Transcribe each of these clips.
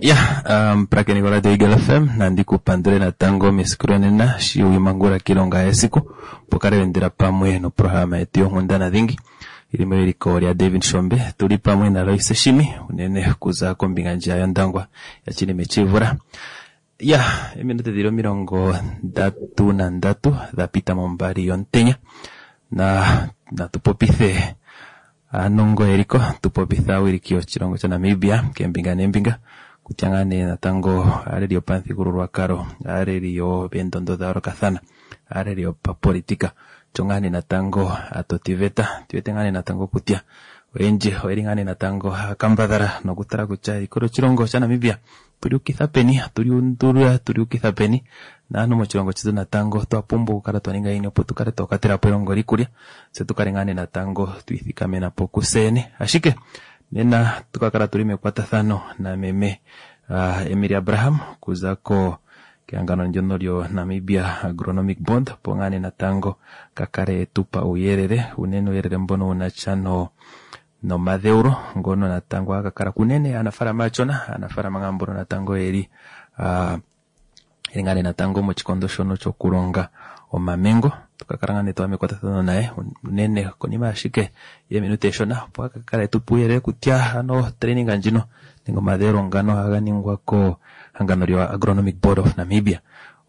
Ya, omupulakeni goRadio Eagle FM, nandi ku pandule natango mesiku lonena shi wimangula kiilonga yesiku opo kale wendela pamwe noprograma yetu yonkundana dhingi ili mewiliko lya David Shombe tuli pamwe na Loise Shimi unene kuza kombinga ndjiya yOndangwa ya Chinime Chivula. Ya, eminute dhili 33 dha pita mombali yomutenya na natu popithe aanongo yeliko tu popithe aawiliki yoshilongo shaNamibia keembinga neembinga kutya ngaa nee natango aaleli yopamuthigululwakalo, aaleli yopendondo dha yoolokathana, aaleli yopapolitika osho ngaa nee natango aatotiveta tu wete ngaa nee natango kutya oyendji oyeli ngaa nee natango haya kambadhala nokutala kutya eliko lyoshilongo shaNamibia tuli ukitha peni, tuli undulula tuli ukitha peni naantu moshilongo shetu natango twa pumbwa okukala twa ninga yini opo tu kale twa kwatela po elongo likulya tse tu kale ngaa nee natango twiithikamena po kuseyene. Ashike nena tuka kala tuli mekwatathano nameme uh, Emilia Abraham kuza ko kehangano ndyono lyo Namibia Agronomic Board opo ngaa nee natango ka kale etupa uuyelele unene uuyelele mbono wuna sha no nomadheulo ngono natango haga kala kunene aanafalama aachona aanafalama ngaa mbono natango yeli uh, yeli ngaa nee natango mochikondo shono chokulonga omamengo tukakala ngaa nee twaya mekwatathano naye unene konima ashike yeminute eshona opo akakala etupa uuyelele kutya ano training ndjino nenge omadheulo ngano ohaga ningwa ko hangano lyo Agronomic Board of Namibia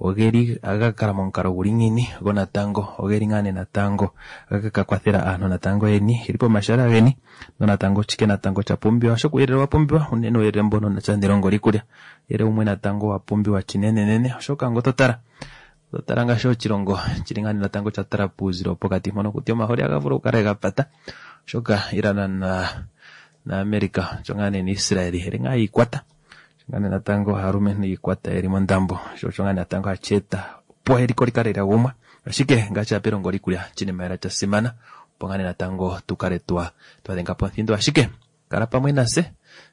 ogeli aga kala momukalo guli ngiini go natango ogeli ngaa nee natango aga ka kwathela aantu natango yeni yeli pomashala geni nonatango chike natango cha pumbiwa oshoka uuyelele wa pumbiwa unene uuyelele mbono natya nelongo likulya uuyelele wumwe natango wa pumbiwa chinenenene oshoka ngo totala totala ngaashi oshilongo chili ngaa nee natango cha tala puuzilo wopokati mpono kutya omaholi aga vulu okukala ga pata oshoka Iran na na America osho ngaa nee na Israel eli ngaa yiikwata osho ngaa nee natango aalumentu yiikwata yeli mondambo sho osho ngaa nee natango hashi eta opo eliko likale lya gumwa ashike ngaashi apa elongo likulya oshinima lela sha simana opo ngaa nee natango tukale twa twadhenga po omuthindo ashike kala pamwe nase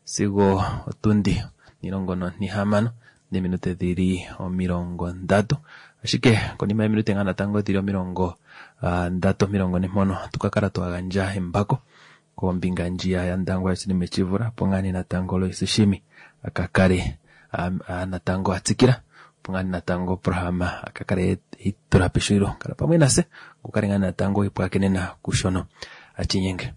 sigo otundi 16 neminute dhili 30 ashike konima yeminute ngaa natango dhili 30 40 mpono tukakala twa gandja embako kombinga ndjiya yaNdangwa yoSinime Tshivula opo ngaa nee natango Loise Shimi akakale natango atsikila opo ngaa nee natango oprograma akakale eitula peshulilo kala pamwe nase kukale ngaa natango ipwakenena kushono achinyenge.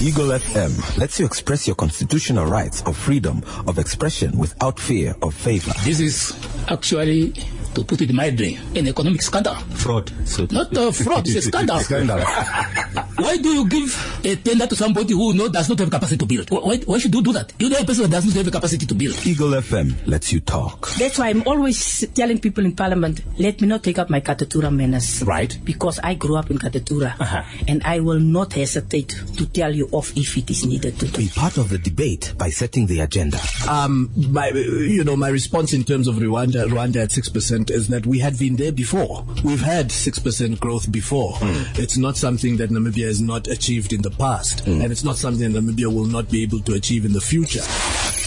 Eagle FM lets you express your constitutional rights of freedom of expression without fear of favor. This is actually, to put it mildly, an economic scandal. Fraud. So Not a fraud, it's a scandal. Scandal. Why do you give a tender to somebody who does not have capacity to build? Why should you do that? You know a person who does not have the capacity to build. Eagle FM lets you talk. That's why I'm always telling people in Parliament, let me not take up my Katutura manners. Right. Because I grew up in Katutura. Uh-huh. And I will not hesitate to tell you off if it is needed to do. Be part of the debate by setting the agenda. My response in terms of Rwanda at 6% is that we had been there before. We've had 6% growth before. It's not something that Namibia has not achieved in the past, and it's not something that Namibia will not be able to achieve in the future.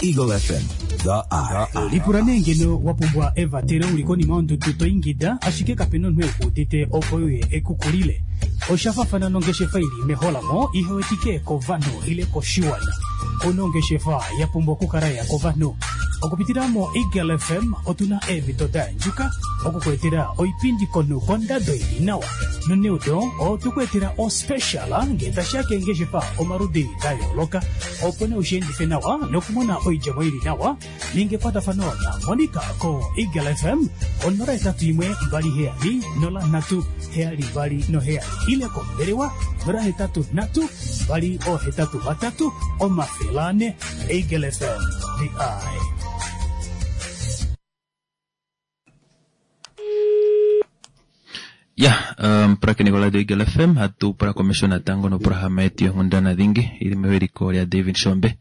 Eagle FM, the eye. Lipula nee ngeno wa pumbwa evatelo uli konima yondudu to ingida ashike kapena omunhu ekuudite opo uye ekukulile. Osha fafana nongeshefa ili meholamo ihewetike kovanhu ile koshiwana. Kuna ongeshefa ya pumbwa okukala ya kovanhu. Okupitila mo Eagle FM otuna eemhito da yandjuka okukuetela oipindi komunhu kondado ili nawa. Noneudo otukuetela ospecial ngee tashiya keengeshefa omaludi da yooloka opo nee ushiendife nawa nokumona oidjemo ili nawa. Ninga ekwatafano na Monica ko Eagle FM 081 27 03 72 7 ile kombelewa 083 283 400. Eagle FM, the eye. Ya, mpulakeni goRadio Eagle FM hatu pula komesho natango noprograma yetu yonkundana dhingi ili mewiliko lya David Shombe.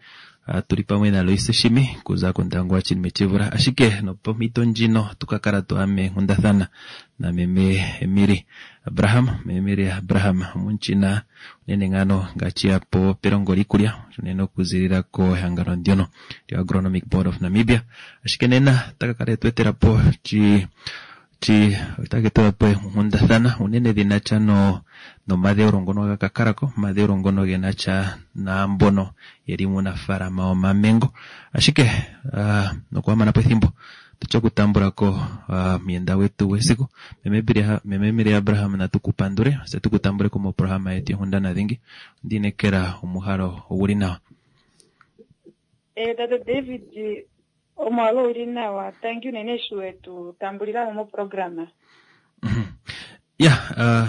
Tuli pamwe na Loise Shimi kuza kOndangwa Chinime Tshivula ashike nopomhito ndjino tukakala twaya meenghundathana na meme Emily Abraham. Meme Emily Abraham omunchina unene ngano ngaashi yapo pelongo likulya unene okuzilila ko ehangano ndyono lyo Agronomic Board of Namibia ashike nena takakala etwetela po Ti otake tula po eenghundathana unene dhi na sha no nomadheulo ngono ga ka kala ko, omadheulo ngono ge na sha naambono ye li muunafaalama womamengo. Ashike uh, nokuhamana po ethimbo tutye okutambula ko uh, omuyenda gwetu gwesiku meme Emilia Abraham, natu ku pandule tse tu ku tambule ko moprograma yetu yonkundana dhingi. Ondi inekela omuhalo oguli nawa. Eh, tate David, omuhalo uli nawa. Thank you unene eshi wetu tambulila mo moprograma. Ya,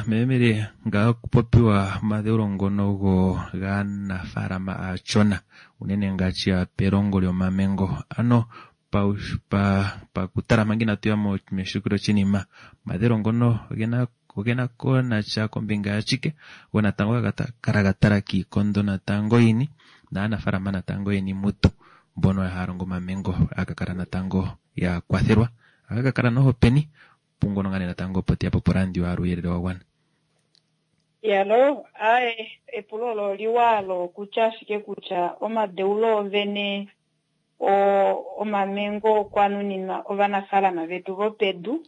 meme Emilia, nga okupopiwa omadheulo ngono go gaanafaalama aachona unene ngaashi ya pelongo lyomamengo, ano pakutala manga inatu ya meshiko lyoshinima, omadheulo ngono ogena ogena ko nasha kombinga yashike, go natango ga kala ga tala kiikondo natango yini naanafaalama natango yeni mutu mbono haya longo omamengo aka kala natango ya kwathelwa, aka ka kala noho peni pungono ngane natango opo teya po porandio aluuyelele wa gwana. Yalo, ae, epulo olo oliwa olo kutya ashike kutya omadeulo ovene omamengo okwa nuninwa ovanafaalama vetu vopedu.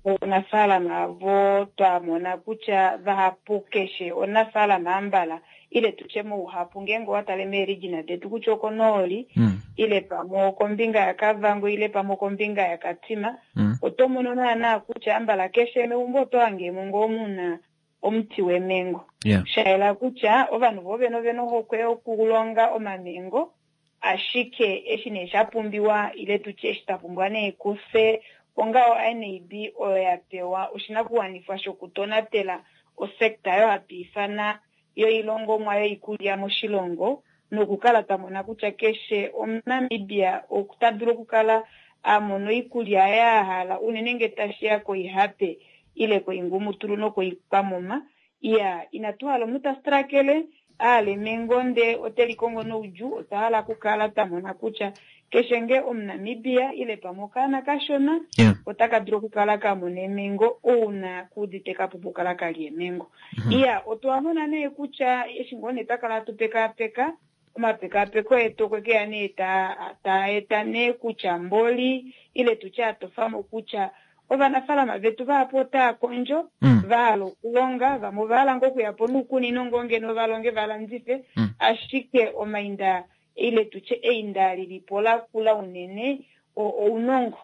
Ovanafaalama vo twa mona kutya vahapu keshe omunafaalama ambala ile tutye mouhapu ngeenge owa tale meeregina detu kutya okonooli ile pamwe okombinga yaKavango ile pamwe okombinga yaKatima, oto mono naana kutya ambala keshe meumbo oto hangemo ngoo muna omuti wemengo. Sha yela kutya ovanhu vo vene ovena ohokwe yokulonga omamengo, ashike eshi nee sha pumbiwa ile tutye eshi twa pumbwa nee kufye onga o-NAB oyo ya pewa oshinakuwanifwa shokutonatela osekta oyo hatu ifana yoilongomwa yoikulya moshilongo nokukala twa mona kutya keshe Omunamibia ota dulu okukala a mona oikulya yaye a hala unene ngee tashi ya koihape ile koingumutulu nokoikwamuma. Iya, inatu hala omunhu ta strakele a hala emengo ndee ote likongo noudjuu. Otwa hala okukala twa mona kutya keshe ngee Omunamibia ile pamwe okaana kashona otaka dulu okukala ka mona emengo ouna kuudite ka pumbwa okukala ka lya emengo. Iya, otwa mona nee kutya eshi ngoo nee twa kala hatu pekaapeka, omapekaapeko etu okwe keya nee taa eta nee kutya mboli ile tutye a tofamo kutya ovanafaalama vetu vahapu otaa kondjo, va hala okulonga, vamwe ova hala ngoo okuya po noukunino ngoo ngeno va longe va landife, ashike omainda ile tutye einda lilipo lakula unene ounongo.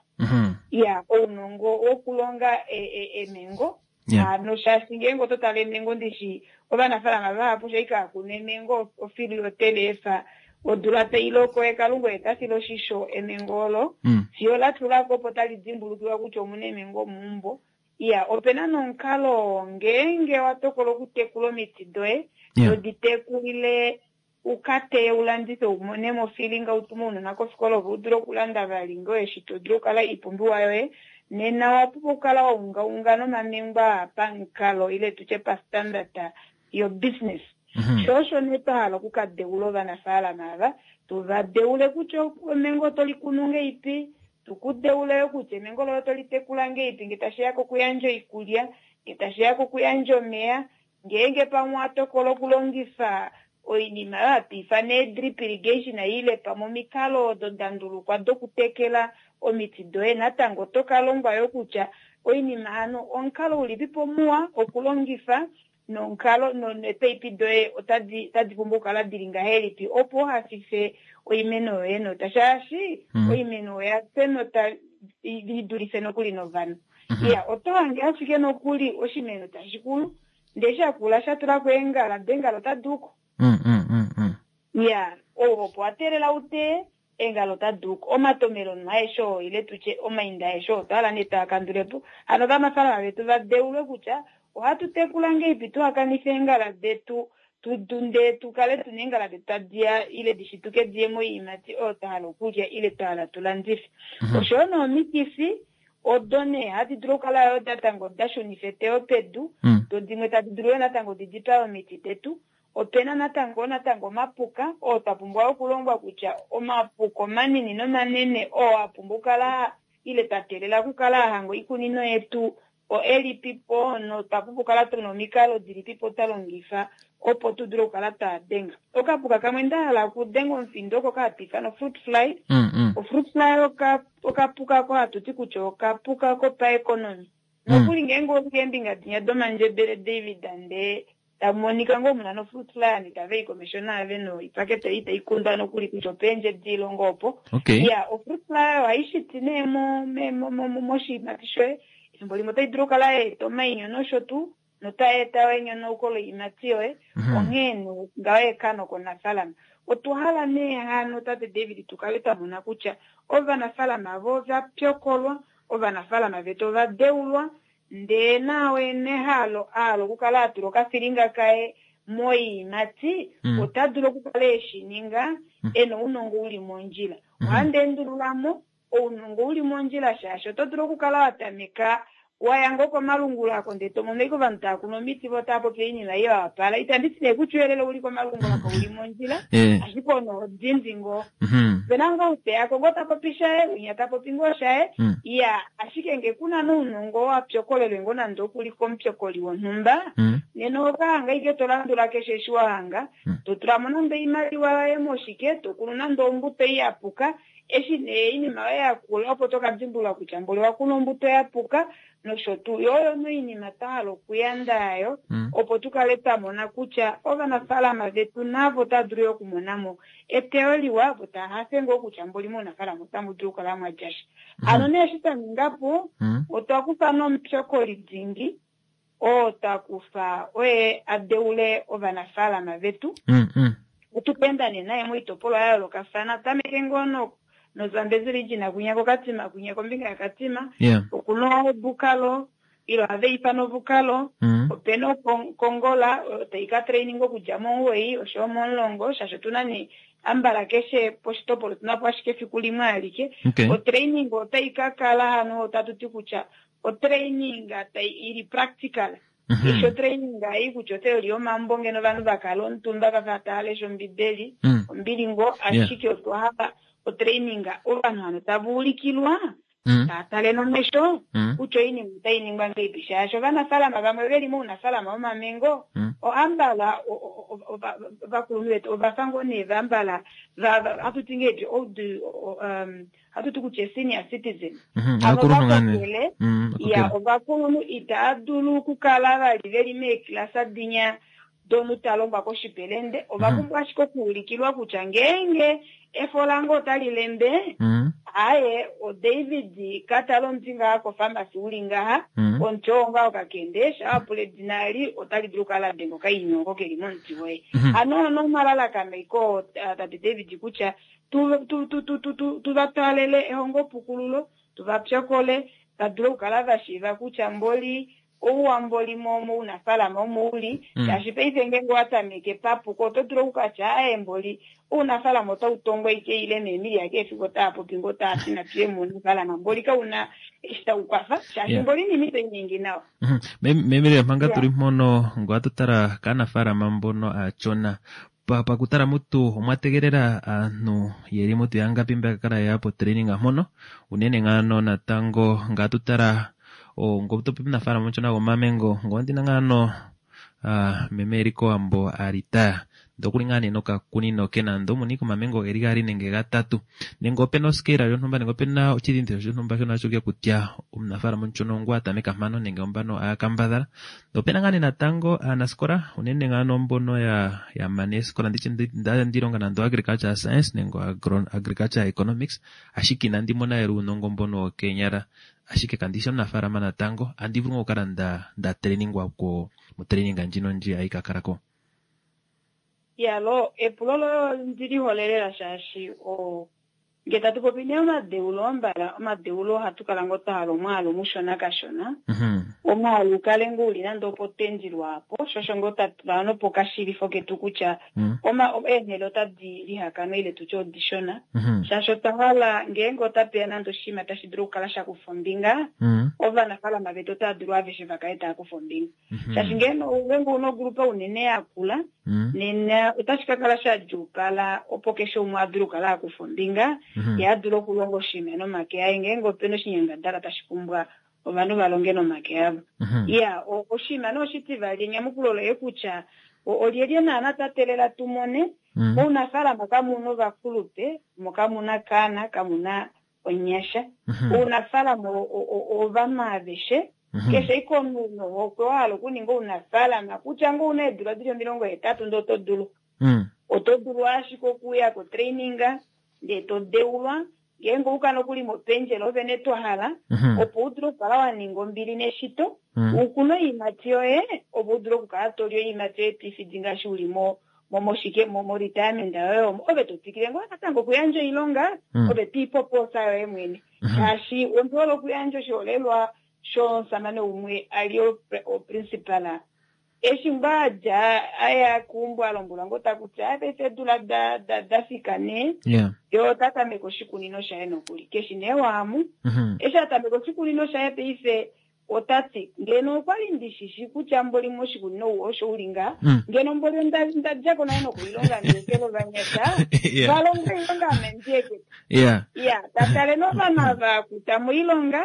Iya, ounongo wokulonga emengo. Hano shaashi ngeenge oto tale emengo ndishi ovanafaalama vahapu shai kaa kuna emengo ofili yotelefa odula tai loko ye Kalunga oye ta file oshisho emengo olo fiyo la tulako opo tali dimbulukiwa kutya omuna emengo meumbo. Iya, opena nomukalo oo ngeenge wa tokola okutekula omiti doye todi tekulile u ka teye u landife u mone mo ofilinga u tume ounona kofikola ove u dule okulanda vali ngoo eshi to dulu okukala oipumbiwa yoye, nena owa pumbwa okukala wa ungaunga nomamengwa aa pamukalo ile tutye pa standard yo business. Sho osho nee twa hala oku ka deula ovanafaalama ava, tu va deule kutya emengo oto li kunu ngeipi, tu ku deule yo kutya emengo loye oto li tekula ngeipi nge tashi ya kokuyandja oikulya, nge tashi ya kokuyandja omeya, Ngeenge pamwe owa tokola okulongifa oinima oyo hatu ifana ee-drip irrigation ile pamwe omikalo odo da ndulukwa dokutekela omiti doye, natango oto ka longwa yo kutya oinima hano omukalo ulipipo muwa okulongifa nomukalo neepaipi doye otadi otadi pumbwa okukala dili ngahelipi opo u hafife oimeno yoye nota shaashi oimeno oya fya enota li dulife nokuli novanhu. Iya, oto hange ashike nokuli oshimeno tashi kulu, ndee sha kula sha tula ko eengala, do eengala otadi uko. Iya, ou opo wa teelela u teye, eengala otadi uko. Omatomelo no aeshe oo, ile tu tye omainda aeshe oo, otwa hala nee twaa kandule po. Hano ovanafaalama vetu va deulwe kutya ohatu tekula ngeipi tuha kanife eengala detu, tu, ndee tu kale tuna eengala detu tadi ya, ile di shituke di ye moiimati oyo twa hala okulya, ile twa hala tu landife. Osho yo noomikifi, Odo nee hadi dulu okukala yoo natango da shunifa eteyo pedu, do dimwe tadi dulu yoo natango di dipae omiti detu. Opena natango natango omapuka oo twa pumbwa okulongwa kutya omapuka omanini nomanene oo a pumbwa okukala ile twa teelela okukala a hanga oikunino yetu oelipipo notwa pumbwa okukala tuna omikalo dilipipo twa longifa. opo tu dule okukala twa denga. Okapuka kamwe nda hala okudenga omufindo oko ka hatu ifana fruit fly. Ofruit fly okapuka ko hatu ti kutya okapuka kopaeconomy. Nokuli ngeenge oli keembinga dinya domandjebele David ndee tamu monika ngoo muna nofruit fly ovanhu itava i komesho naave noipakete ei itai kundwa nokuli kutya opeendje diilonga opo. Iya, ofruit fly ohai shiti nee moshiimati shoye. Efimbo limwe otai dulu okukala ya eta omainyo nosho tuu, notai eta yo enyonauko loiimati yoye. Onghee nee ngaho ekano komunafaalama. Otwa hala nee hano tate David tu kale twa mona kutya ovanafaalama avo ova pyokolwa, ovanafaalama vetu ova deulwa, ndee naao ena ehalo a hala okukala a tula okafilinga kaye moiimati, ota dulu okukala eshi ninga ena ounongo uli mondjila. Ohandi endulula mo ounongo uli mondjila shaashi oto dulu okukala wa tameka wa ya ngoo komalungula ako ndee to mono ashike ovanhu tava kunu omiti vo otava popi oinima ei ya wapala. Itandi ti nee kutya ouyelele uli komalungula kau li mondjila, ashike ono odindi ngoo. Ope na ngoo ou te ya ko ngoo ta popi shaye, winya ta popi ngoo shaye, iya, ashike ngee ku na nounongo wa pyokolelwe ngoo nande oku li komupyokoli wonhumba, nena oho ka hanga ashike to landula keshe eshi wa hanga, to tula mo nande oimaliwa yoye moshike, to kunu nande ombuto ei ya puka, eshi nee oinima yoye ya kula opo to ka dimbulula kutya mboli owa kuna ombuto ya puka nosho tuu. Yo oyo nee oinima twa hala okuyanda yayo, opo tu kale twa mona kutya ovanafaalama vetu navo otava dulu yo okumona mo eteyo liwa, vo tava hafe ngoo kutya mboli mounafaalama otamu dulu okukala mwa dja sha. Hano nee eshi twa ninga po, otwa kufa nomupyokoli dingi oo twa kufa oye a deule ovanafaalama vetu. Otu ka enda nee naye moitopolwa ya yoolokafana, tameke ngoo noZambezi region kwinya koKatima, kwinya kombinga yaKatima, okuna Obukalo, ile ohava ifana Obukalo, opena Okongola tai ka training okudja momuwoi oshoyo momulongo, shaashi otuna nee ambala keshe poshitopolwa otuna po ashike efiku limwe alike. Otraining otai ka kala hano otatu ti kutya otraining tai ili practical. Eshi otraining ei kutya otheory yomambo ngeno ovanhu va kala omutumba va fa tava lesha ombibeli, ombili ngoo, ashike otwa hala otraining ovanhu hano tava ulikilwa, tava tale nomesho kutya oinima otai ningwa ngahelipi, shaashi ovanafaalama vamwe veli mounafaalama womamengo oambala ovakulunhu vetu ovafa ngoo nee vaambala hatu ti ngahelipi old, hatu ti kutya senior citizen. Avo vakokele, ya ovakulunhu itava dulu okukala vali veli meeklasa dinya domunhu ta longwa koshipelende, ova pumbwa ashike okuulikilwa kutya ngeenge efo lange otali lembe, aaye, oDavid ka tale omuti ngaha kofamasi uli ngaha, omuti oo ngaho kakende, sha wa pula edina eli otali dulu okukala la denga okainyo oko keli momuti woye. Hano ono omalalakano aiko tate David kutya tu va twalele ehongopukululo, tu va pyokole, va dule okukala va shiiva kutya mboli ouwa mboli mounafaalama omo uli, shaashi paife ngeenge owa tameke papuko oto dulu okukatya aaye mboli ounafaalama otau tongwa ike ile meemilia keshe efiku otava popi ngoo tava ti natu ye mounafaalama mboli kauna eshi tau kwafa, shaashi mboli inima itai ningi nawa. Meemilia manga tuli mpono ngoo hatu tala kaanafaalama mbono aachona, pakutala mutu omwa tegelela aantu yeli mutu yangapi mba kala ya po training mpono, unene ngaano natango nga tutala ngo topi omunafaalama omushona gomamengo ngo ndina ngaano meme eli kOwambo a ritaya ndee okuli ngaa nee nokakunino ke nande omuna ike omamengo geli gaali nenge gatatu, nenge opena oscale yontumba nenge opena oshidhinditho shontumba shono hashi ulike kutya omunafaalama omushona ongu a tameka mpano nenge ombano a kambadhala. Ndee opena ngaa nee natango aanasikola unene ngaano mbono ya mana eesikola nditye ndi longa nande agriculture science nenge agriculture economics, ashike inandi mona lela uunongo mbono wokeenyala, ashike kandi shi omunafaalama natango, andi vulu ngoo okukala nda trainingwa ko motraining ndjino ndji ayi ka kala ko. Yalo, epulo loye ondi li hole lela shaashi nge tatu popi nee omadeulo ambala, omadeulo ohatu kala ngoo twa hala omwaalu mushona kashona. Omwaalu ukale ngoo uli nande opo tendi lwaapo, sho osho ngoo twa tula nopokashilifo ketu kutya eenhele otadi lihakanwa ile tutye odishona. Shaashi otwa hala ngeenge otapeya nande oshinima tashi dulu okukala sha kufa ombinga, ovanafaalama vetu otava dulu aveshe va kale tava kufa ombinga. Shaashi ngeenge ouna ogrupa unene yakula, nena otashi ka kala sha djuupala opo keshe umwe a dule okukala a kufa ombinga, ye a dule okulonga oshinima nomake aye ngeenge opena oshinyangadalwa tashi pumbwa ovanhu va longe nomake avo. Iya, oshinima nee oshitivali enyamukulo loye kutya Olyelye naana twa teelela tu mone? Mounafaalama kamu na ovakulupe, mo kamu na kaana, kamu na onyasha. Ounafaalama ovanhu aveshe. Keshe ashike omunhu nohokwe wa hala okuninga ounafaalama, kutya ngoo ouna eedula dili 80 ndee oto dulu. Oto dulu ashike okuya kotraining ndee to deulwa, ngeenge ouka nokuli mopendjela ove nee twa hala, opo u dule okukala wa ninga ombili neshito, u kune oiimati yoye, opo u dule okukala to li oiimati yoye to i fidi ngaashi u li mo moshike mo retirement yoye omo, ove to twikile ngoo natango okuyandja oilonga, ove to i po poosa yoye mwene. Shaashi ondi hole okuyandja oshiholelwa shomusamane umwe a li oprincipal. Eshi ngoo a dja a ya keumbo a lombwelwa ngoo taku ti aa paife eedula da fika nee, ye ota tameke oshikunino shaye nokuli. Keshi nee waamu. Eshi a tameka oshikunino shaye paife ota ti, ngeno okwa li ndi shi shi kutya mboli moshikunino ou osho u li ngaha, ngeno mboli onda dja ko nale nokuilonga ndi etele ovanyasha va longe oilonga ame ndi ekete. Iya, ta tale novanhu ava a kuta moilonga,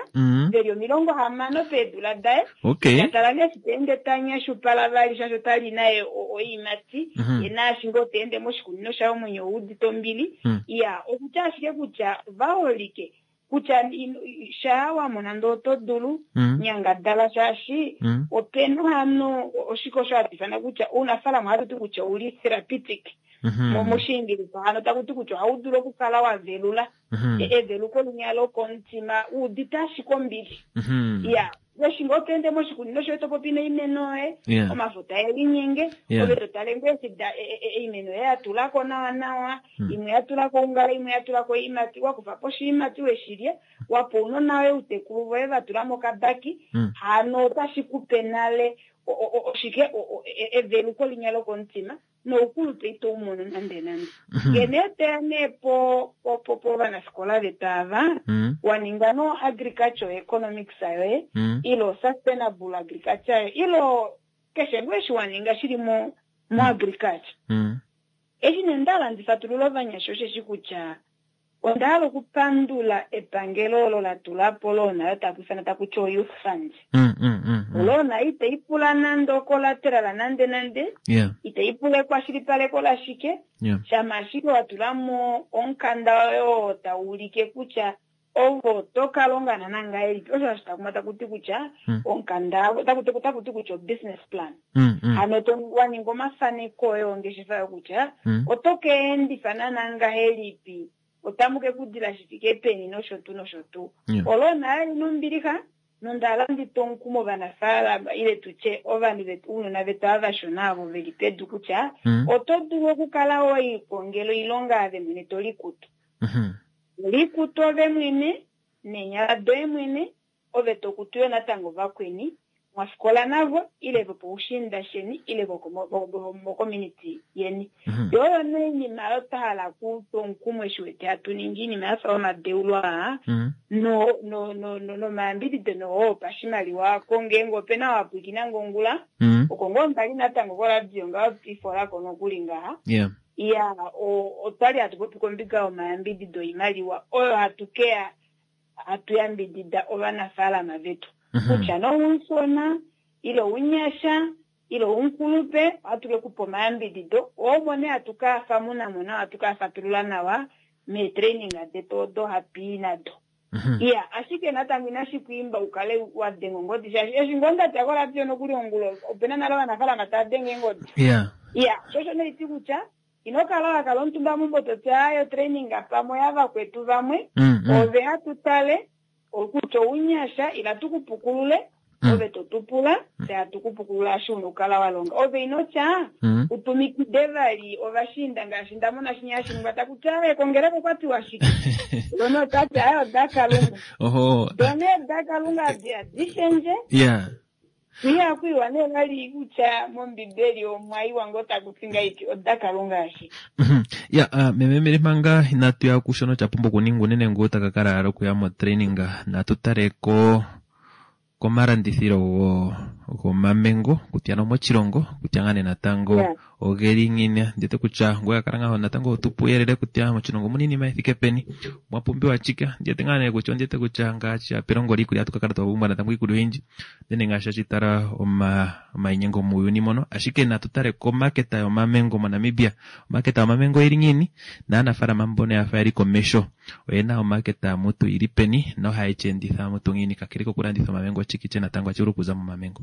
ve li 60 peedula daye. Ta tala nee eshi ta ende ta nyashupala vali shaashi ota li naye oiimati, ye naashi ngoo ta ende moshikunino shaye omwenyo ou udite ombili. Iya, okutya ashike kutya va holike kutya shaa wa mona ndee oto dulu, nyangadala shaashi opena hano oshike osho hatu ifana kutya ounafaalama ohatu ti kutya ouli therapeutic. Moshiingilisa hano taku ti kutya ohau dulu okukala wa velula. Eveluko linya lokomutima u udite ashike ombili. Iya, eshi ngoo to ende moshikunino shoye to popi noimeno yoye, omafo tae linyenge, ove to tale ngoo eshi oimeno yoye ya tula ko nawa nawa, imwe ya tula ko oungala, imwe ya tula ko oiimati, wa kufa po oshiimati we shi lya, wa pa ounona voye, outekulu voye va tula mokabaki, hano otashi ku pe nale oshike eveluko linya lokomutima. Noukulupe ito u mono nande nande. Nge nee toya nee po po povanafikola vetu ava, wa ninga no agriculture economics yoye, ile sustainable agriculture yoye, ile keshe ngoo eshi wa ninga shili mo mo agriculture. Eshi nee nda hala ndi fatulule ovanyasha osheshi kutya Onda hala okupandula epangelo olo la tula po loan oyo taku ifana taku ti o-youth fund. Oloan itai pula nande ocollateral nande nande, itai pula ekwashilipaleko lashike, shama ashike wa tula mo omukanda woye oo tau ulike kutya ove oto ka longa naana ngahelipi. Osho hashi takuma taku ti kutya omukanda otaku ti kutya o-business plan. Hano to wa ninga omafaneko oye ongeshefa yo kutya oto ka endifa naana ngahelipi, otamu ke ku dila shi fike peni nosho tuu nosho tuu. Olo nale li na ombilixa nonda hala ndi twe omukumo ovanafaalama ile tu tye ovanhu vetu ounona vetu ava vashona ovo ve li pedu kutya oto dulu okukala we likongela oilonga ove mwene to likutu. Likutu ove mwene neenyala doye mwene Ove to kutu yo natango vakweni mwa fikola navo ile vopoushiinda sheni ile vomokominiti yeni. Yo oyo nee oinima oyo twa hala okutwa omukumo eshi wete hatu ningi oinima ya fa omadeulo aa nomayambidido noo opashimaliwa ako ngeenge ope na wa pwilikina nge ongula oko ngoo nda li natango koradio ngaho twiifolako nokuli ngaha. Iya, otwa li hatu popi kombinga yomayambidido oimaliwa oyo hatu keya Ohatu yambidida ovanafaalama vetu, kutya nee oumushona, ile ounyasha, ile oumukulupe, ohatu ke ku pa omayambidido, oo omo nee hatu ka famuna mo nawa, hatu ka fatulula nawa meetraining detu odo hatu i nado. Iya, ashike natango inashi ku imba u kale wa denga ongodi, shaashi eshi ngoo nda dja koradio nokuli ongula, ope na nale ovanafaalama tava denge eengodi. Iya, sho osho nee haiti kutya Ino kala wa kala omutumba meumbo to ti aaye otraining pamwe oyavakwetu vamwe, ove hatu tale kutya ounyasha ila tu ku pukulule, ove to tu pula fye hatu ku pukulula eshi una okukala wa longa. Ove ino tya u tumikide vali ovashiinda ngaashi nda mona shinya hashi ningwa taku ti aaye kongeleka okwa tiwa shike. Lona ota ti aaye odaKalunga. Do nee daKalunga adi shendje. Ihaku iwa nee vali kutya mOmbibeli omwa iwa ngoo taku ti ngahelipi odaKalunga ashike. Ya, uh, meme Mary manga inatu ya kushono cha pumbwa okuningwa unene ngoo taka kala ala okuya motraining natu tale ko komalandithilo go gomamengo kutya nomochilongo kutya ngaa nee natango yeah. Ogeli ngiini? Ndi wete kutya ngoye kala ngaho natango otupu uyelele kutya moshilongo omuna iinima ithike peni, omwa pumbiwa chike. Ndi wete ngaa nee kutya ondi wete kutya ngaashi pelongo liikulya ohatu ka kala twa pumbwa natango iikulya oyindji, unene ngaashi hashi tala omainyengo muuyuni mono. Ashike natu tale komaketa yomamengo moNamibia. Omaketa yomamengo oyili ngiini? Naanafaalama mbono yafa yeli komesho oyena omaketa mutu yili peni nohaye shi enditha mutu ngiini? Kakele kokulanditha omamengo, oshike natango hashi vulu okuza momamengo?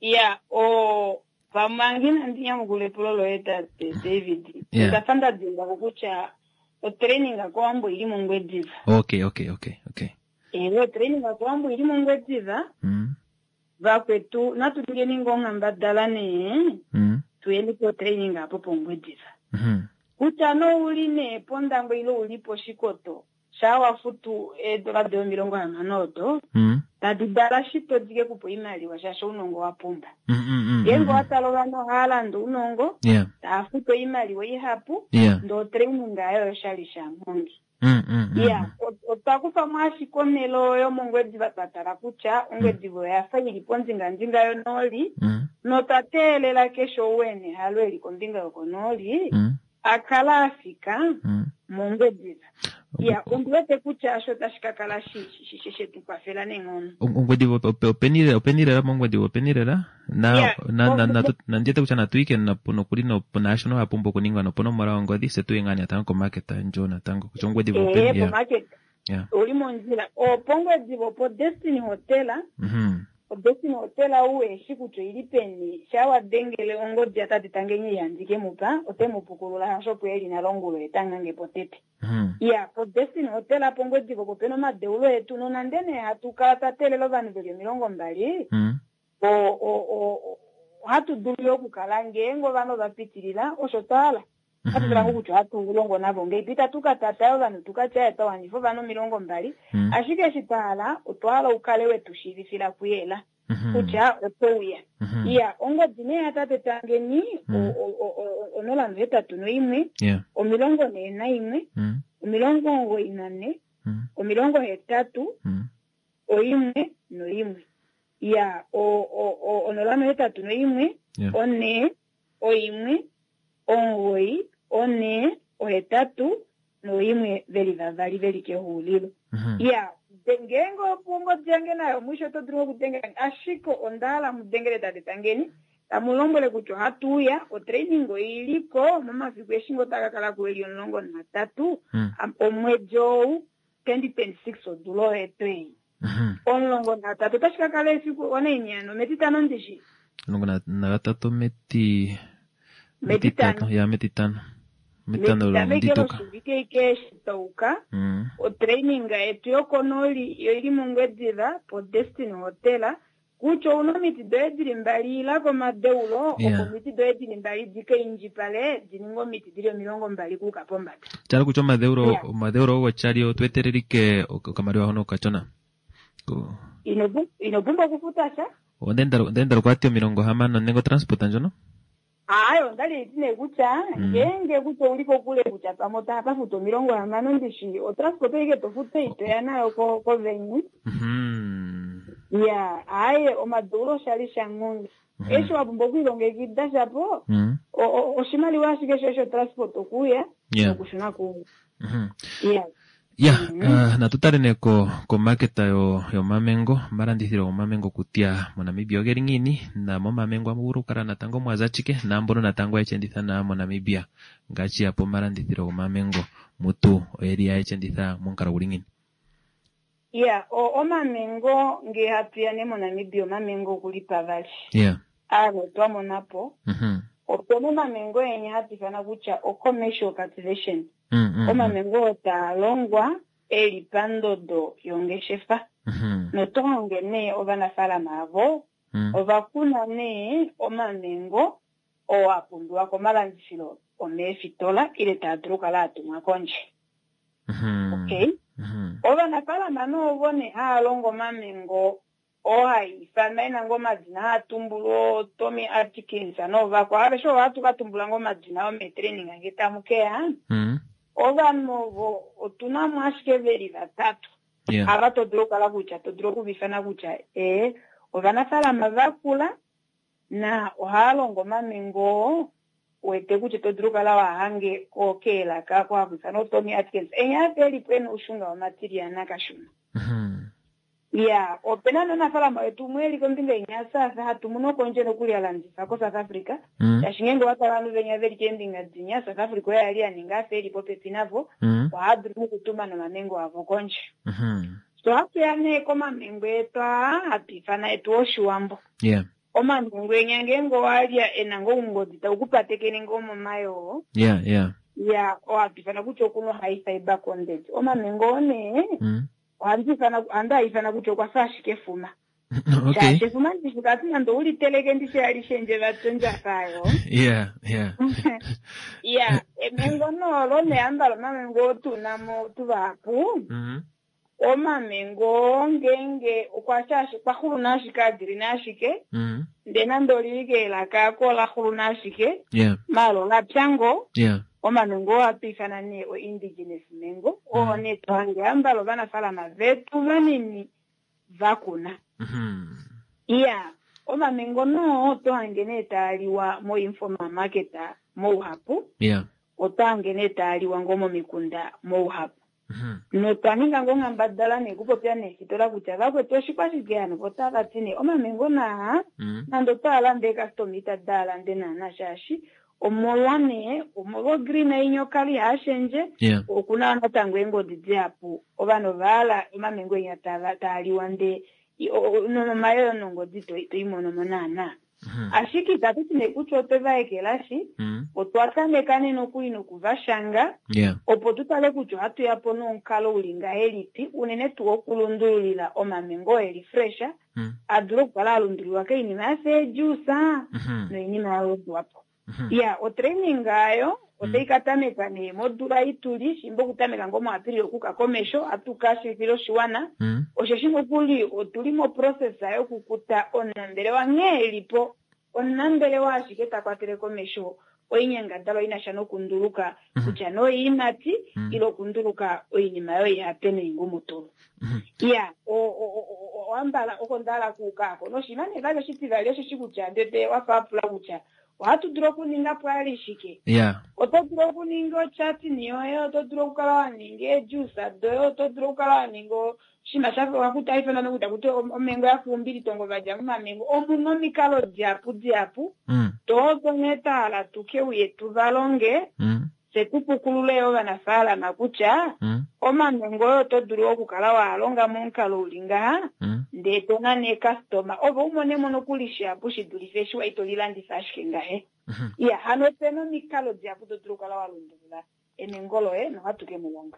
Ya, o pamwe inandi nyamukula epulo loye tate David. Yeah. Onda fa nda dimbwa ko kutya otraining kOwambo oyili mOngwediva. Okay, okay, okay, okay. Ewe, otraining kOwambo oyili mOngwediva. Vakwetu natu ningeni ngoo onghendabala nee tuyeni potraining apo pOngwediva. Kutya nouli nee pOndangwa ile ouli pOshikoto, shaa wa futu eedola doye 60 odo, tadi dala shito di ke kupe oimaliwa shaashi ounongo wa pumba. Ngeenge owa tala ovanhu ohava landa ounongo, tava futu oimaliwa ihapu, ndee otraining ayo oyoshali shaMhongi. Ya, otwa kufa mo ashike onhele oyo mOngwediva twa tala kutya Ongwediva oya fa ili pondingandinga yonooli, notwa teelela keshe ou e na ehalo e li kombinga yokonooli a kala a fika mOngwediva. Ya, ondi wete kutya osho otashi ka kala she tu kwafela neenghono. Ongwediva openi lela, openi lela mOngwediva openi lela? Na, na, na, na, na ndi wete kutya natu ike nokuli naashono wa pumbwa okuningwa noponomola yongodhi se tuye ngaa natango komarket ndjo natango kutya Ongwediva openi. Ee, pomarket. Uli mondjila. Opongwediva opo Destiny Hotel. ODestiny Hotel ou eshi kutya oili peni, shaa wa dengele ongodi yatate Tangenye ihandi ke mu pa, ote mu pukulula hasho opo eli nale ongula oye ta ngange po tete. Iya, poDestiny Hotel pOngwediva opo pena omadeulo etu, nonande nee hatu kala twa teelela ovanhu veli 20, ohatu dulu yo okukala ngeenge ovanhu ova pitilila osho twa hala. Ohatu tala ngoo kutya ohatu longo navo ngeipi, itatu ka tata ovanhu tu ka tye twa wanifa ovanhu 20, ashike eshi twa hala, otwa hala u kale we tu shiivifila kuyela kutya oto uya. Iya, ongodi nee yatate Tangeni, 081 41 94 80 1 1. Iya, 081 4 1 9 4 8 1 veli vavali veli kehuulilo. Iya, ngeenge ongodi yange nayo mwisho oto dulu okudengela, ashike onda hala mu dengele tate Tangeni, tamu lombwele kutya ohatu uya, otraining oili ko momafiku eshi ngoo taa ka kala ko eli 13 omwedi ou 2026 odula oyo etu ei. 13 otashi ka kala efiku onaini hano metitano ndishi? 13 meti Metitano. Ya, metitano. Metitano Metitano ike londituka. loshivike ike eshi tauka. Otraining yetu yokonooli yo ili mOngwediva po Destiny Hotel. Kutya ouna omiti doye dili mbali ila komadeulo, opo omiti doye dili mbali di ka indjipale di ninge omiti dili 20 kuuka pombada. Tala kutya omadeulo, omadeulo ogo chali otu etelelike okamaliwa hono okachona. Ino pumbwa okufuta sha. Onda endala kwati 60 nenge transport ndjono? Aye, onda li ti nee kutya ngeenge kutya ouli kokule kutya pamwe otapa futa 60 ndishi, otransport oike to futa itoya nayo kovenue. Ya, aye, omadeulo oshali shaNghongi. Eshi wa pumbwa okwiilongekida shapo, oshimaliwa ashike shoye shotransport okuuya nokushuna kuumwe. Ya. Ya, natu tale nee komarket yomamengo, omalandithilo gomamengo kutya moNamibia ogeli ngiini, na momamengo ohamu vulu okukala natango mwa za chike, naambono natango haye shi enditha nawa moNamibia, ngaashi ya pomalandithilo gomamengo mutu oyeli haye shi enditha momukalo guli ngiini? Ya, omamengo nge hatu ya nee moNamibia, omamengo okuli pavali. Aano twa mona po. Opena omamengo enya hatu ifana kutya o commercial cultivation. Omamengo oo taa longwa eli pandodo yongeshefa. Noto hange nee ovanafaalama avo ova kuna nee omamengo oo a pumbiwa komalandifilo omeefitola ile taa dulu okukala a tumwa kondje. Okay. Ovanafaalama noovo nee haa longo omamengo oo haa ifanwa ena ngoo omadina haa tumbulwa Tommy Atkins noovakwa aveshe ovo ohatu ka tumbula ngoo omadina omeetraining nge tamu keya. Ovanhu ovo otuna mo ashike veli vatatu. Ava to dulu okukala kutya to dulu okuvifana kutya ee ovanafaalama vakula. Na ohaa longo omamengo oo wete kutya to dulu kala wa hange ko keelaka ko haku ifanwa Tommy Atkins. Enya afa elipo ena oushunga wamatilyana kashona. Ya, opena nomunafaalama wetu umwe eli kombinga inya South hatu mono kondje nokuli a landifa ko South Africa. Shaashi ngeenge owa tala ovanhu venya veli keembinga dinya, South Africa oye ali a ninga afa eli popepi navo, ohaa dulu nokutuma nomamengo avo kondje. So ohatu ya nee komamengo etu aa hatu ifana etu Oshiwambo. Omamengo enya ngeenge owa lya ena ngoo oungodi tau ku patekene ngoo momayoo. Ya, ohatu ifana kutya okuna o-high fiber content. Omamengo oo nee, ohandi ifana, ohandi a ifana kutya okwa fa ashike efuma. Shaashi efuma ndishi vati nande ou li teleke ndishi alishe ndje vati ondjafa ayo. Ya, emengo nee olo nee ambala omamengo oo tu na mo tuvahapu. Omamengo ngeenge okwa sha okwa xulu na ashike a green ashike. Ndee nande olili keelaka ako ola xulu na ashike. Maala ola pya ngoo. Omamengo oo ohatu ifana nee o indigenous mango. Oo nee to hange ambala ovanafalama vetu vanini va kuna. Iya, omamengo noo oto hange nee taa liwa mo informal market mouhapu. Oto hange nee taa liwa ngoo momikunda mouhapu. Notwa ninga ngoo onghendabala nee okupopya neefitola kutya vakwetu oshikwashike hano, vo otava ti nee omamengo naa nande otwaa lande eecustoma itadi a lande naana shaashi omolwa nee omolwa ogreen inya okala ihaa shendje, okuna yo natango eengodi dihapu, ovanhu ova hala omamengo inya taa liwa ndee nomayoyo nongodi ito i mono mo naana. Ashike itatu ti nee kutya otwe va ekelashi, otwa tameka nee nokuli noku va shanga opo tu tale kutya ohatu ya po nomukalo u li ngahelipi, unene tuu okulundululila omamengo oo e li fresh a dule okukala a lundululwa koinima ya fa eejuice noinima ya wedwa po. Ya, otraining ayo otai ka tameka nee modula ei tu li, shimba okutameka ngoo muApril okuka komesho, ohatu ka shiivifila oshiwana. Osheshi nokuli otu li moprocess yokukuta omunambelewa nghee e li po, omunambelewa ashike ta kwatele komesho oinyangadalwa i na sha nokunduluka kutya nee oiimati ile okunduluka oinima yoihape noingumutulu. Ya, owambala oko nda hala okuuka ako. Noshinima nee vali oshitivali osheshi kutya ndete wa fa wa pula kutya ohatu dulu okuninga po ali shike. Oto dulu okuninga ochatni yoye, oto dulu okukala wa ninga eejuice doye, oto dulu okukala wa ninga oshinima sha fa wakuti hai fanwa nokuta kuti omengo ya fa oumbilitongo va dja momamengo. Omu na omikalo dihapu dihapu to nghee twa hala tu ke uye tu va longe, fye tu pukulule yo ovanafaalama kutya omamengo oyo oto dulu okukala wa longa momukalo uli ngaha, ndee to nane eekastoma ove u mone mo nokuli shihapu shi dulife eshi wa ito lilandifa ashike ngahe. Iya, hano ope na omikalo dihapu to dulu okukala wa lundulula emengo loye nohatu ke mu longa.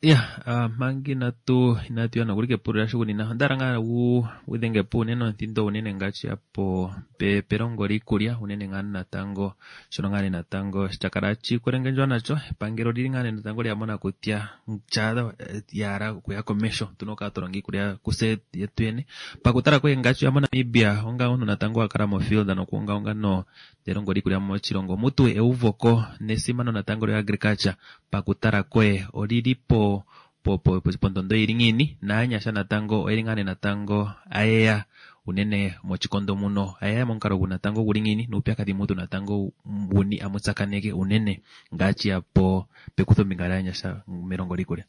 Ya, manga inatu inatu ya nokuli kepulilo lashugunina, onda hala ngaa wu wu dhenge po unene omuthindo unene ngaashi ya po pe pelongo liikulya unene ngaa natango shono ngaa nee natango sha kala shikwelengendjwa nasho epangelo olili ngaa nee natango lya mona kutya tya ya hala okuya komesho otuna okukala twa longa iikulya kuse yetu yene. Pakutala koye ngaashi ya moNamibia onga omuntu natango wa kala mofield nokuungaunga no nelongo liikulya moshilongo mutu euvoko nesimano natango lyo agriculture pakutala koye olili po po po pondondo ili ngiini naanyasha natango oyeli ngaa nee natango ayeya unene mochikondo muno ayeya momukalo gu natango guli ngiini nuupyakadhi mutu natango wuni amu tsakaneke unene ngaashi ya po pekuthombinga lyaanyasha melongo liikulya.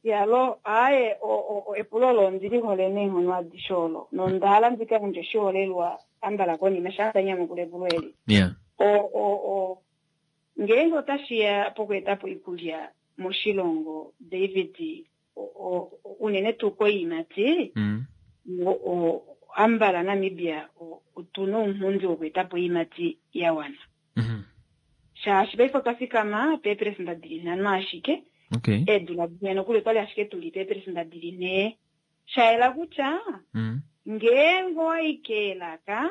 Yalo, aaye, o, o, o, epulo olo ondi li hole neenghono adishe olo, nonda hala ndi ka yandje oshiholelwa ambala konima sha nda nyamukula epulo eli. Yeah. O, o, o, ngeenge otashi ya pokweeta po oikulya moshilongo, David, o, o, unene tuu koiimati, o, o, ambala Namibia o, otu na ounghundi wokweeta po oiimati ya wana. Shaashi paife otwa fikama peeperesenda di li nhano ashike. Eedula dimwe nokuli otwa li ashike tu li peeperesenda di li nhee. Sha yela kutya ngeenge owa i keelaka,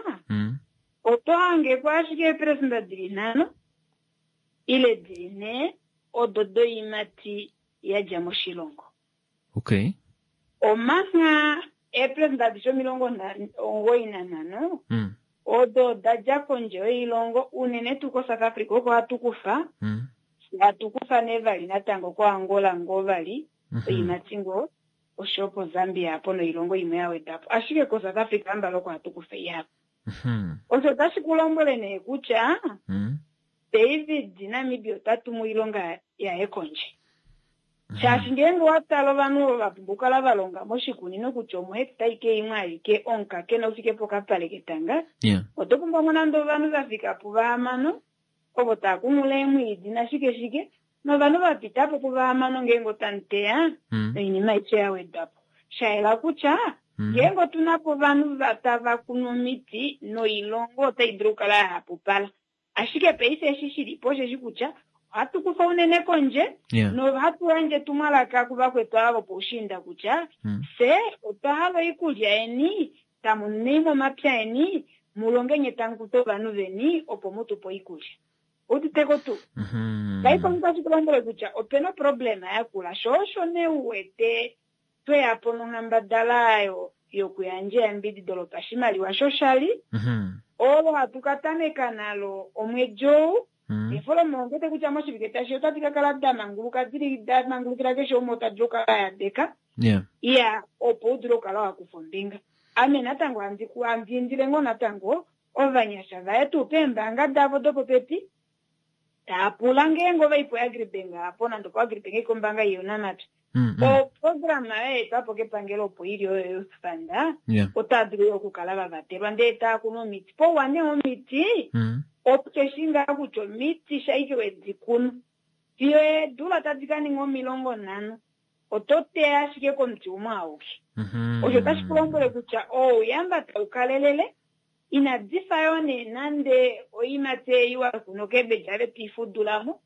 oto hange ko ashike eeperesenda di li nhano ile di li nhee odo doiimati ya dja moshilongo. Omangha eeperesenda adishe 95 odo oda dja kondje yoilongo, unene tuu koSouth Africa oko hatu kufa, hatu kufa nee vali natango koAngola ngoo vali oiimati ngoo, oshoyo koZambia apo noilongo imwe ya weda po. Ashike koSouth Africa ambala oko hatu kufa ihapu. Osho otashi ku lombwele nee kutya David Namibia ota tumu oilonga yaye kondje. Shaashi ngeenge owa tala ovanhu ovo va pumbwa okukala va longa moshikunino kutya omohecta ike imwe aike omukakena u fike pokapale ketanga, oto pumbwa mo nande ovanhu va fika puvahamano ovo tava kunghula eemwiidi nashike shike, novanhu va pita po puvahamano ngeenge otamu teya noinima aishe ya wedwa po. Sha yela kutya ngeenge otu na po ovanhu tava kunu omiti noilonga otai dulu okukala ya hapupala. Ashike paife eshi shi li po osheshi kutya ohatu kufa unene kondje nohatu yandje etumwalaka kuvakwetu ava vopoushiinda kutya fye otwa hala oikulya yeni, tamu nine momapya eni, mu longe nye tamu kuta ovanhu veni opo mu tu pe oikulya. Ou udite ko tuu? Paife otashi ku lombwele kutya ope na oproblema yakula, sho osho nee u wete tweya po nonghendabala oyo yokuyandja eyambidido lopashimaliwa shoshali, olo hatu ka tameka nalo omwedi ou. Eefolomo ondi wete kutya moshivike tashi otadi ka kala da manguluka, dili da mangulukila keshe umwe ota dulu okukala a yadeka. Iya, opo u dule okukala wa kufa ombinga. Ame natango handi indile ngoo natango ovanyasha vaye tuu peembaanga davo dopopepi, taa pula ngeenge ova i poAgribank apo, nande opoAgribank ike ombaanga younamapya. Oprograma oyo ya etwa po kepangelo opo ili oyo Youth Fund, otaa dulu okukala va vatelwa ndee taa kunu omiti. Pouwa nee omiti, okeshi ngaa kutya omiti shaike we di kunu fiyo eedula tadi ka ninga 50, oto teya ashike komuti umwe auke. Osho otashi ku lombwele kutya ouyamba tau kalelele, inadi fa yoo nee nande oiimati ei wa kuna okebeji ave to i fudula mo.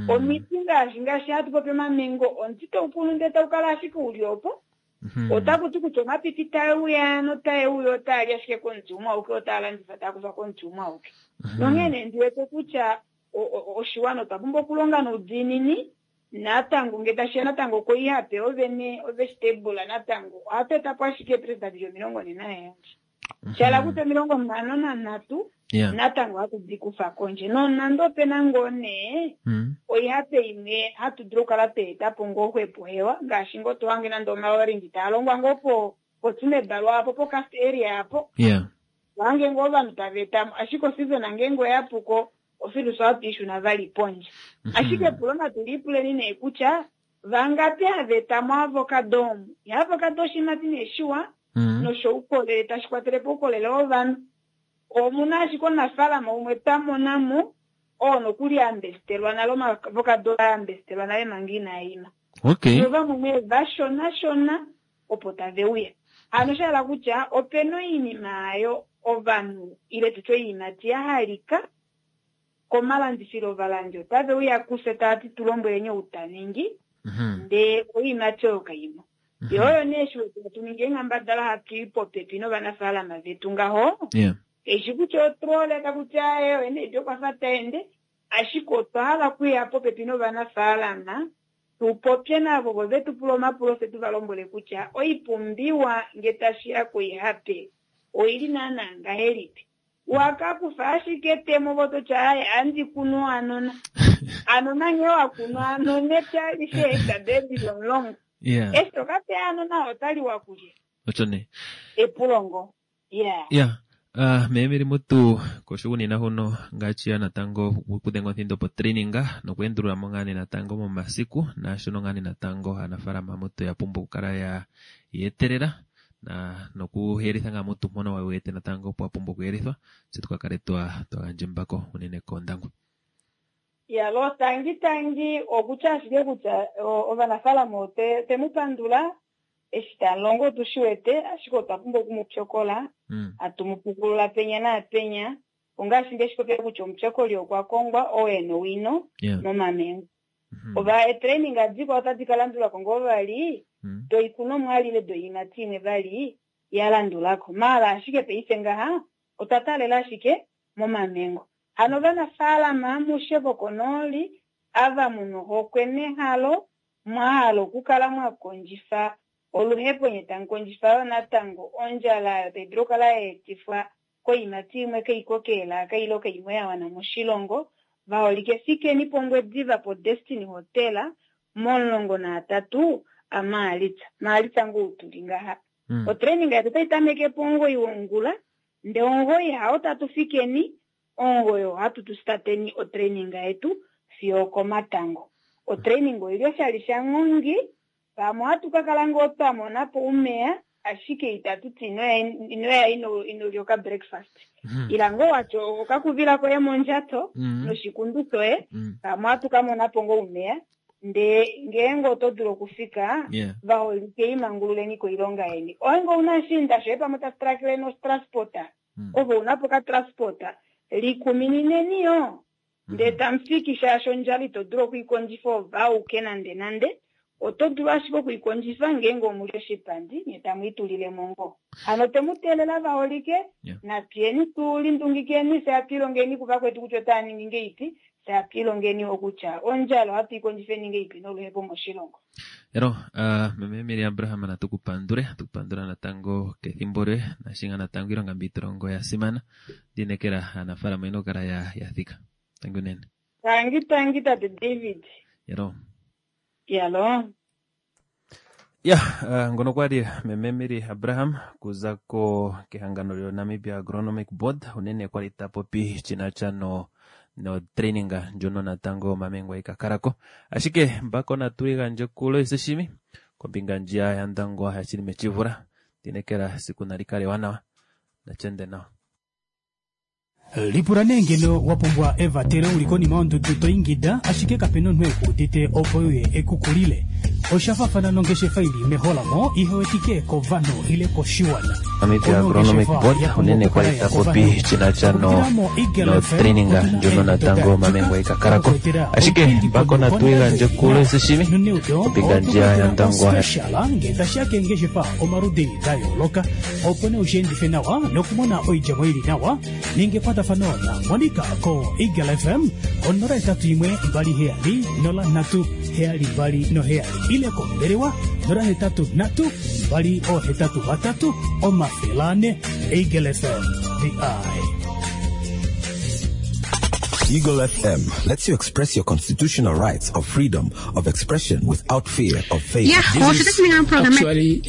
Omiti ngaashi hatu popi omamengo, omuti tau kunu ndee tau kala ashike uli opo. Otaku ti kutya omapipi tae uya notae uya otaa li ashike komuti umwe auke, otaa landifa taa kufa komuti umwe auke. Nonghee nee ndi wete kutya oshiwana otwa pumbwa okulonga noudiinini. Natango nge tashiya natango koihape ovene ovegetable natango ohatu eta po ashike eepresida dili 47. Shala kutya 53 natango ohatu di kufa kondje. Nonande ope na ngoo nee oihape imwe hatu dulu okukala twa eta po ngoo xwepo hewa, ngaashi ngoo to hange nande omaorange taa longwa ngoo poTsumeb lwaapo poCast area apo. To hange ngoo ovanhu tava eta mo, ashike oseason ngeenge oya puko ofilusa ohatu i shuna vali pondje. Ashike epulo natu lipuleni nee kutya vangapi hava eta mo avocado omu? Ya avocado oshiimati nee shiwa noshoukolele, tashi kwatele po oukolele wovanhu. Omuna ashike omunafaalama umwe twa mona mo oo nokuli a mbesitelwa nale omavocado a mbesitelwa nale manga inaa ima. Novamwe nee vashona shona opo tave uya. Hano sha hala kutya opena oinima ayo ovanhu ile tutye oiimati ya halika komalandifilo, ovalandi otave uya kufye tava ti tu lombweleni ou ta ningi, ndee oiimati oyo kaimo. Yo oyo nee shi wete hatu ningi eenghendabala hatu i popepi novanafaalama vetu ngaho. Kaishi kutya otrole taku ti aye oye okwa fa ta ende, ashike otwa hala okuya popepi novanafaalama tu popye navo vo ve tu pule omapulo fye tu va lombwele kutya oipumbiwa nge tashi ya koihape oili naana ngahelipi. Wakakufa ashike etemo vo totya aye andi kunu anona. Anona nghee wa kunu anona epya alishe hectare deedili 10. Eshi to ka teya anona otali wa kulya. Osho nee. Epulo ngo. Ya, meemeli mutu koshugunina huno ngaashi natango okudhenga omuthindo po training nokuendulula mo ngaa nee natango momasiku naashono ngaa nee natango aanafaalama mutu ya pumbwa okukala ya yetelela na nokuyelitha ngaa mutu mpono wa wete natango pwa pumbwa okuyelithwa tse tuka kale twa gandja embako unene koondangwa. Ya lo tangi tangi okutya ashike kutya ovanafaalama te mu pandula eshi ta longo otu shi wete, ashike otwa pumbwa oku mu pyokola, hatu mu pukulula penya naapenya, ongaashi nge shi popya kutya omupyokoli okwa kongwa oo e na owino momamengo. Ova etraining adikwao otadi ka landulako ngoo vali, doikunomwa alile doiimati imwe vali ya landulako. Maala ashike paife ngaha otwa taalela ashike momamengo. Hano ovanafaalama amushe vokonooli ava muna ohokwe nehalo mwa hala okukala mwa kondjifa oluhepo nye tamu kondjifa yo natango ondjala oyo tai dulu okukala ya etifwa koiimati imwe kaiko keelaka ile kaimwe ya wana moshilongo, vaholike fikeni pOngwediva po Destiny Hotel mo13 aMaalitsa. Maalitsa ngoo tuli ngaha. Otraining yetu otai tameke po 9 wongula. Ndee omugoyi hao tatu fikeni, omugoyi ohatu tu stateni otraining yetu fiyo okomatango. Otraining oili oshali shanghongi, pamwe ohatu ka kala ngoo twa mona po umeya, ashike itatu ti inoya ino lya oka breakfast. Ila ngoo watya okakuvila koye mondjato noshikundu shoye, pamwe ohatu ka mona po ngoo umeya. Ndee ngeenge oto dulu okufika, vaholike imangululeni koilonga yeni. Oinge ouna oshiinda shoye pamwe tashi trakele nostransporta, ove una po okatransporta, likuminineni yoo. Ndee tamu fiki shaashi ondjala ito dulu okwiikondjifa ove auke nande nande. Oto dulu ashike okwiikondjifa ngeenge omuli oshipandi nye tamu itulile mo ngoo. Hano otwe mu teelela vaholike, natuyeni tu lindungikeni fye hatu ilongeni kuvakwetu kutya otava ningi ngeipi, fye hatu ilongeni yo kutya ondjala ohatu i kondjifeni ngeipi noluhepo moshilongo. Elo, uh, meme Mary Abraham natu ku pandule, atu ku pandula natango kethimbo lyoye nashinga natango iilonga mbi to longo oya simana. Ndiinekela aanafaalama oyena okukala ya, ya thika. Tangi unene. Tangi tangi tate David. Yalo. Yalo. Ya, uh, ngono kwali meme Mary Abraham kuza ko kehangano lyo Namibia Agronomic Board unene kwali ta popi shinacha no no training ndjono natango Mamengwa ikakalako ashike mbako natu igandje ku Loise Shimi kombinga ndjiya ya Ndangwa ya Shilime Tshivula ndinekela siku nali kale ewanawa nachende nawa. Lipula nee ngeno wa pumbwa evatelo u li konima yondudu to ingida ashike kape na omunhu e ku udite opo e uye e ku kulile. Osha faafana nongeshefa i li meholamo ihe wetike kovanhu ile koshiwana. Namibia Agronomic Board unene kwa li ta popi shi na sha no notraining ndjono natango Mamengwa ika kala ko. Ashike mbako natu igandje ku Loise Shimi kombinga ndjiya ya Ndangwa. Special ngee tashi ya keengeshefa omaludi da yooloka opo nee ushiendife nawa nokumona oidjemo ili nawa. Ninga ekwatafano na Monica ko Eagle FM ko 081 27 03 72 ile kombelewa 083 283 400. Eagle FM, the eye. Eagle FM lets you express your constitutional rights of freedom of expression without fear of favor. Yeah, This well, is should this mean I'm programming? Actually,